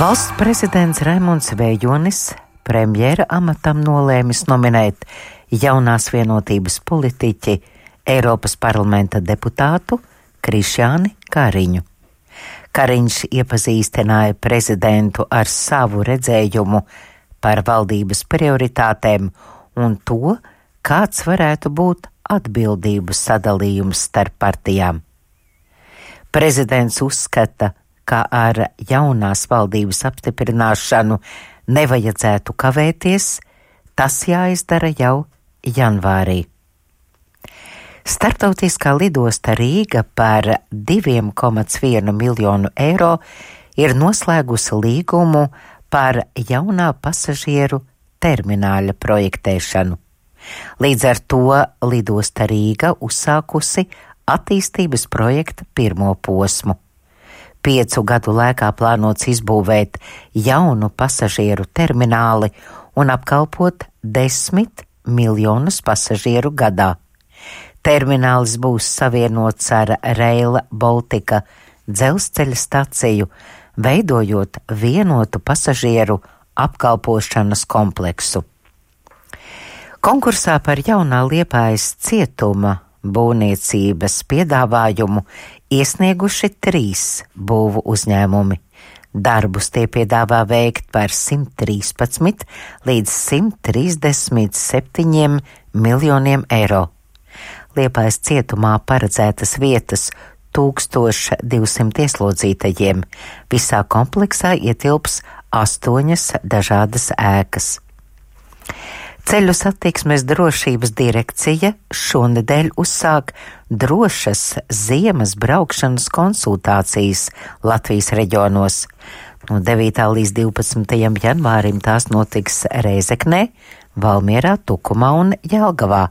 Valsts prezidents Raimonds Vējonis premjera amatam nolēmis nominēt jaunās vienotības politiķi Eiropas parlamenta deputātu Krišjāni Kariņu. Kariņš iepazīstināja prezidentu ar savu redzējumu par valdības prioritātēm un to, kāds varētu būt atbildību sadalījums starp partijām. Prezidents uzskata, ka ar jaunās valdības apstiprināšanu nevajadzētu kavēties, tas jāizdara jau janvārī. Starptautiskā lidosta Rīga par 2,1 miljonu eiro ir noslēgusi līgumu par jaunā pasažieru termināļa projektēšanu. Līdz ar to lidosta Rīga uzsākusi attīstības projekta pirmo posmu. 5 gadu laikā plānots izbūvēt jaunu pasažieru termināli un apkalpot 10 miljonus pasažieru gadā. Terminālis būs savienots ar Rail Baltica dzelzceļa staciju, veidojot vienotu pasažieru apkalpošanas kompleksu. Konkursā par jaunā Liepājas cietuma būvniecības piedāvājumu iesnieguši 3 būvu uzņēmumi. Darbus tie piedāvā veikt par 113 līdz 137 miljoniem eiro. Liepājas cietumā paredzētas vietas 1200 ieslodzītajiem. Visā kompleksā ietilps 8 dažādas ēkas. Ceļu satiksmes drošības direkcija šonedēļ uzsāk drošas ziemas braukšanas konsultācijas Latvijas reģionos. No 9. līdz 12. janvārim tās notiks Reizeknē, Valmierā, Tukumā un Jelgavā.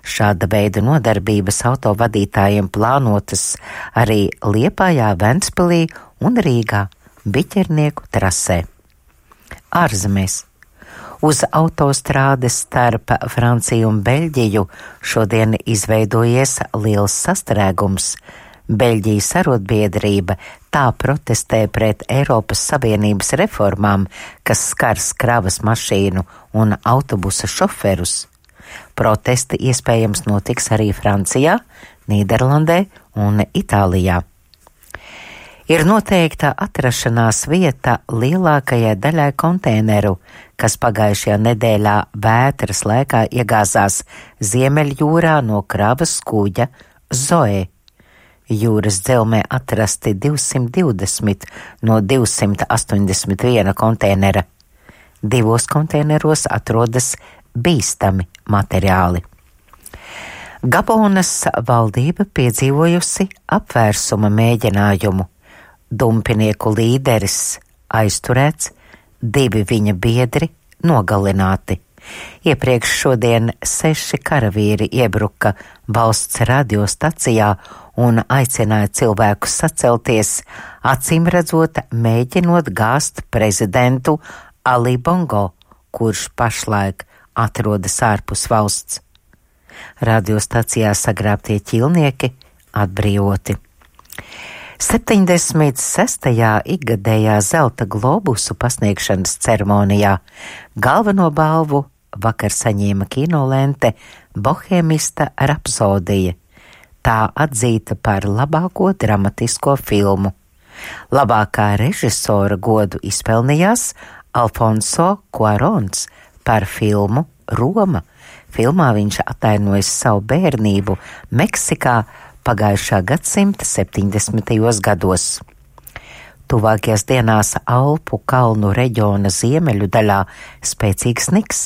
Šāda veida nodarbības autovadītājiem plānotas arī Liepājā, Ventspilī un Rīgā, Biķernieku trasē. Ārzemēs. Uz autostrādes starp Franciju un Beļģiju šodien izveidojies liels sastrēgums. Beļģijas arotbiedrība tā protestē pret Eiropas Savienības reformām, kas skars kravas mašīnu un autobusa šoferus. Protesti iespējams notiks arī Francijā, Nīderlandē un Itālijā. Ir noteikta atrašanās vieta lielākajai daļai konteineru, kas pagājušajā nedēļā vētras laikā iegāzās Ziemeļjūrā no kravas kuģa Zoe. Jūras dzelmē atrasti 220 no 281 konteinera. 2 konteineros atrodas bīstami materiāli. Gabonas valdība piedzīvojusi apvērsuma mēģinājumu. Dumpinieku līderis aizturēts, 2 viņa biedri nogalināti. Iepriekš šodien 6 karavīri iebruka valsts radiostacijā un aicināja cilvēkus sacelties, acīmredzot mēģinot gāzt prezidentu Ali Bongo, kurš pašlaik atrodas ārpus valsts. Radiostacijā sagrābtie ķīlnieki atbrīvoti. 76. ikgadējā zelta globusu pasniegšanas ceremonijā galveno balvu vakar saņēma kinolente Bohēmista rapsodija. Tā atzīta par labāko dramatisko filmu. Labākā režisora godu izpelnījās Alfonso Cuarons par filmu Roma. Filmā viņš atainojas savu bērnību Meksikā pagājušā gadsimta 70. gados. Tuvākajās dienās Alpu kalnu reģiona ziemeļu daļā spēcīgs sniks.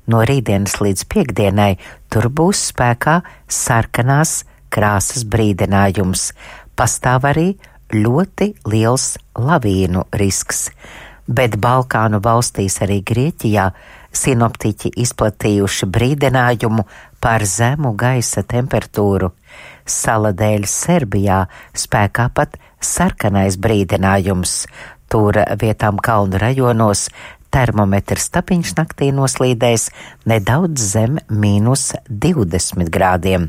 No rītdienas līdz piektdienai tur būs spēkā sarkanās krāsas brīdinājums. Pastāv arī ļoti liels lavīnu risks. Bet Balkānu valstīs arī Grieķijā sinoptiķi izplatījuši brīdinājumu par zemu gaisa temperatūru. Sala dēļ Serbijā spēkā pat sarkanais brīdinājums. Tur vietām kalnu rajonos termometrs tapiņš naktī noslīdēs nedaudz zem -20 grādiem.